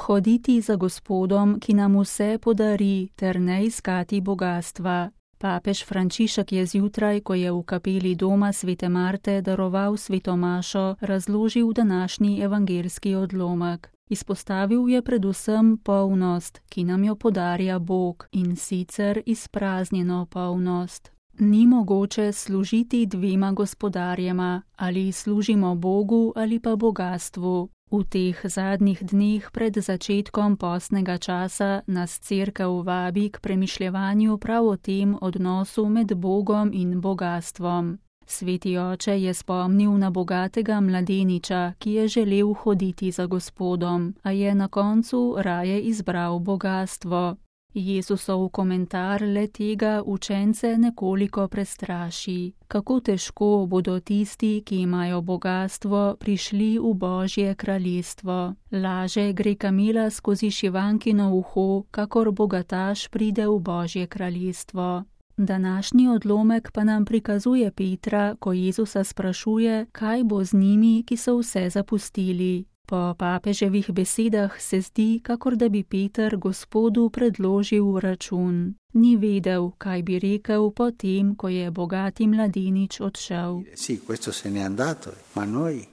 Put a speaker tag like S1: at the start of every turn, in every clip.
S1: hoditi za Gospodom, ki nam vse podari, ter ne iskati bogastva. Papež Frančišek je zjutraj, ko je v kapeli doma svete Marte daroval sveto mašo, razložil današnji evangeljski odlomek. Izpostavil je predvsem polnost, ki nam jo podarja Bog, in sicer izpraznjeno polnost. Ni mogoče služiti dvema gospodarjema, ali služimo Bogu ali pa bogastvu. V teh zadnjih dneh pred začetkom postnega časa nas Cerkev vabi k premišljevanju prav o tem odnosu med Bogom in bogastvom. Sveti oče je spomnil na bogatega mladeniča, ki je želel hoditi za Gospodom, a je na koncu raje izbral bogastvo. Jezusov komentar le tega učence nekoliko prestraši. Kako težko bodo tisti, ki imajo bogastvo, prišli v Božje kraljestvo. Laže gre kamila skozi šivankino uho, kakor bogataš pride v Božje kraljestvo. Današnji odlomek pa nam prikazuje Petra, ko Jezusa sprašuje, kaj bo z njimi, ki so vse zapustili. Po papeževih besedah se zdi, kakor da bi Peter Gospodu predložil račun. Ni vedel, kaj bi rekel po tem, ko je bogati mladenič odšel.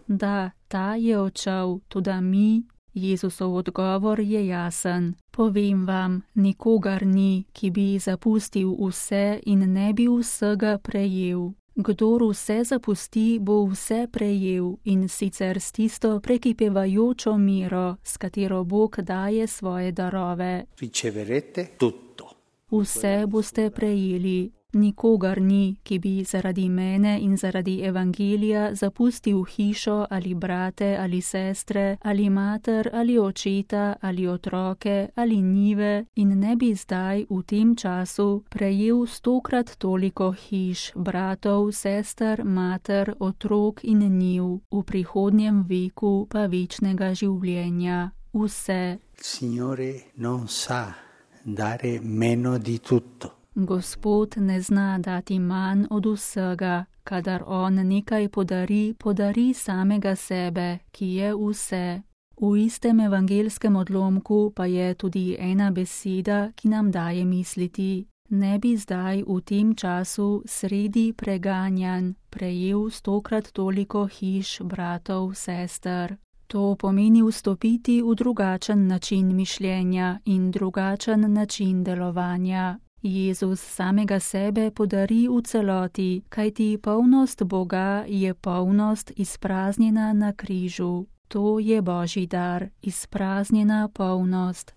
S1: Da, ta je odšel, toda mi. Jezusov odgovor je jasen. Povem vam, nikogar ni, ki bi zapustil vse in ne bi vsega prejel. Kdor vse zapusti, bo vse prejel, in sicer s tisto prekipevajočo mero, s katero Bog daje svoje darove. Vse boste prejeli. Nikogar ni, ki bi zaradi mene in zaradi evangelija zapustil hišo ali brate ali sestre ali mater ali očeta ali otroke ali njive in ne bi zdaj v tem času prejel 100-krat toliko hiš, bratov, sester, mater, otrok in njiv, v prihodnjem veku pa večnega življenja. Vse.
S2: Signore non sa dare meno di tutto.
S1: Gospod ne zna dati manj od vsega, kadar on nekaj podari, podari samega sebe, ki je vse. V istem evangelskem odlomku pa je tudi ena beseda, ki nam daje misliti. Ne bi zdaj v tem času sredi preganjanj prejel 100-krat toliko hiš, bratov, sester. To pomeni vstopiti v drugačen način mišljenja in drugačen način delovanja. Jezus samega sebe podari v celoti, kajti polnost Boga je polnost izpraznjena na križu. To je Božji dar, izpraznjena polnost.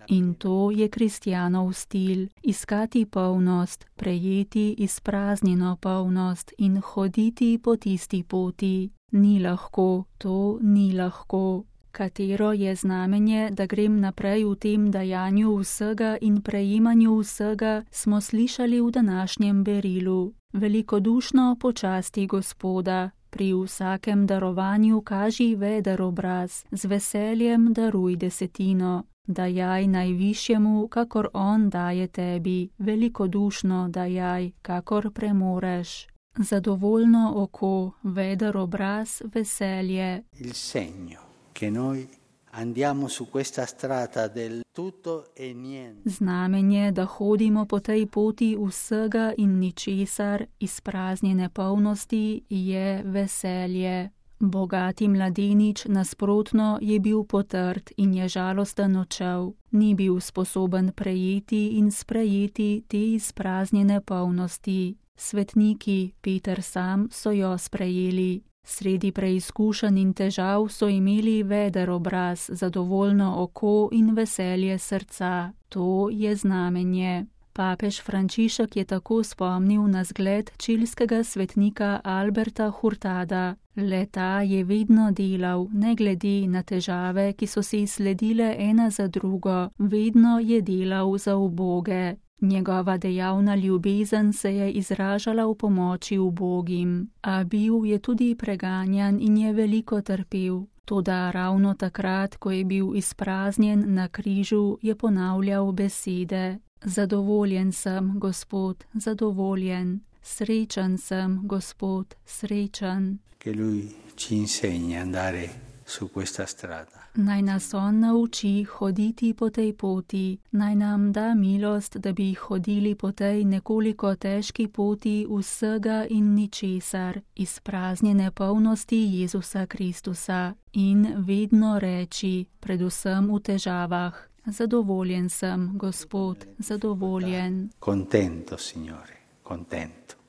S1: In to je kristjanov stil, iskati polnost, prejeti izpraznjeno polnost in hoditi po tisti poti. Ni lahko, to ni lahko. Katero je znamenje, da grem naprej v tem dajanju vsega in prejemanju vsega, smo slišali v današnjem berilu. Velikodušno počasti Gospoda, pri vsakem darovanju kaži veder obraz, z veseljem daruj desetino. Dajaj najvišjemu, kakor on daje tebi, velikodušno dajaj, kakor premoreš. Zadovoljno oko, veder obraz, veselje.
S2: Il segno. Che noi andiamo su questa strada del tutto e niente.
S1: Znamenje, da hodimo po tej poti vsega in ničesar, izpraznjene polnosti, je veselje. Bogati mladenič nasprotno je bil potrt in je žalosten odšel. Ni bil sposoben prejeti in sprejeti te izpraznjene polnosti. Svetniki, Peter sam, so jo sprejeli. Sredi preizkušenj in težav so imeli veder obraz, zadovoljno oko in veselje srca. To je znamenje. Papež Frančišek je tako spomnil na zgled čilskega svetnika Alberta Hurtada. Le ta je vedno delal, ne glede na težave, ki so si sledile ena za drugo, vedno je delal za uboge. Njegova dejavna ljubezen se je izražala v pomoči ubogim, a bil je tudi preganjan in je veliko trpel. Toda ravno takrat, ko je bil izpraznjen na križu, je ponavljal besede: Zadovoljen sem, Gospod, zadovoljen. srečen sem, Gospod, srečen.
S2: Che Lui ci insegni a andare su questa strada.
S1: Naj nas on nauči hoditi po tej poti, naj nam da milost, da bi hodili po tej nekoliko težki poti vsega in ničesar, izpraznjene polnosti Jezusa Kristusa in vedno reči, predvsem v težavah, zadovoljen sem, Gospod, zadovoljen.
S2: Contento, Signore, contento.